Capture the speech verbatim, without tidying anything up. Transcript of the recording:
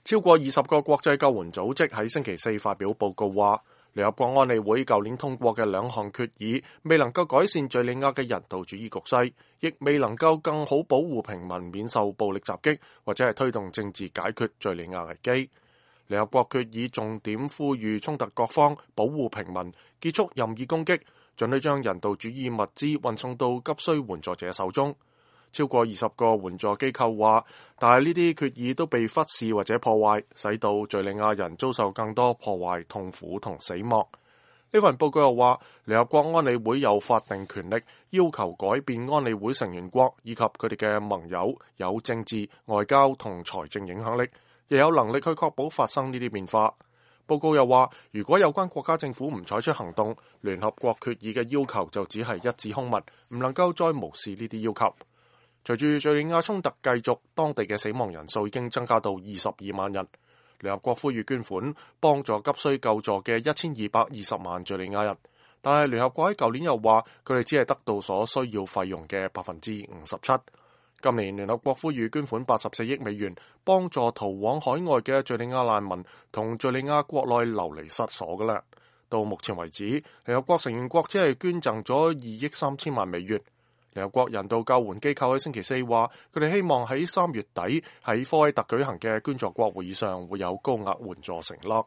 超過二十個國際救援組織喺星期四發表報告話，聯合國安理會舊年通過嘅兩項決議未能夠改善敘利亞嘅人道主義局勢，亦未能夠更好保護平民免受暴力襲擊，或者係推動政治解決敘利亞危機。聯合國決議重點呼籲衝突各方保護平民，結束任意攻擊，准許將人道主義物資運送到急需援助者手中。超過二十個援助機構話，但係呢啲決議都被忽視或者破壞，使到敘利亞人遭受更多破壞、痛苦同死亡。呢份報告又話，聯合國安理會有法定權力要求改變安理會成員國以及佢哋嘅盟友有政治、外交同財政影響力，亦有能力去確保發生呢啲變化。報告又話，如果有關國家政府唔採取行動，聯合國決議嘅要求就只係一紙空文，唔能夠再無視呢啲要求。隨住敘利亞衝突繼續，當地嘅死亡人數已經增加到二十二萬人。聯合國呼籲捐款幫助急需救助嘅一千二百二十萬敘利亞人，但係聯合國喺舊年又話佢哋只係得到所需要費用嘅百分之五十七。今年聯合國呼籲捐款八十四億美元，幫助逃往海外嘅敘利亞難民同敘利亞國內流離失所嘅啦。到目前為止，聯合國成員國只係捐贈咗二億三千萬美元。聯合國人道救援機構喺星期四話，佢哋希望喺三月底喺科威特舉行嘅捐助國會議上會有高額援助承諾。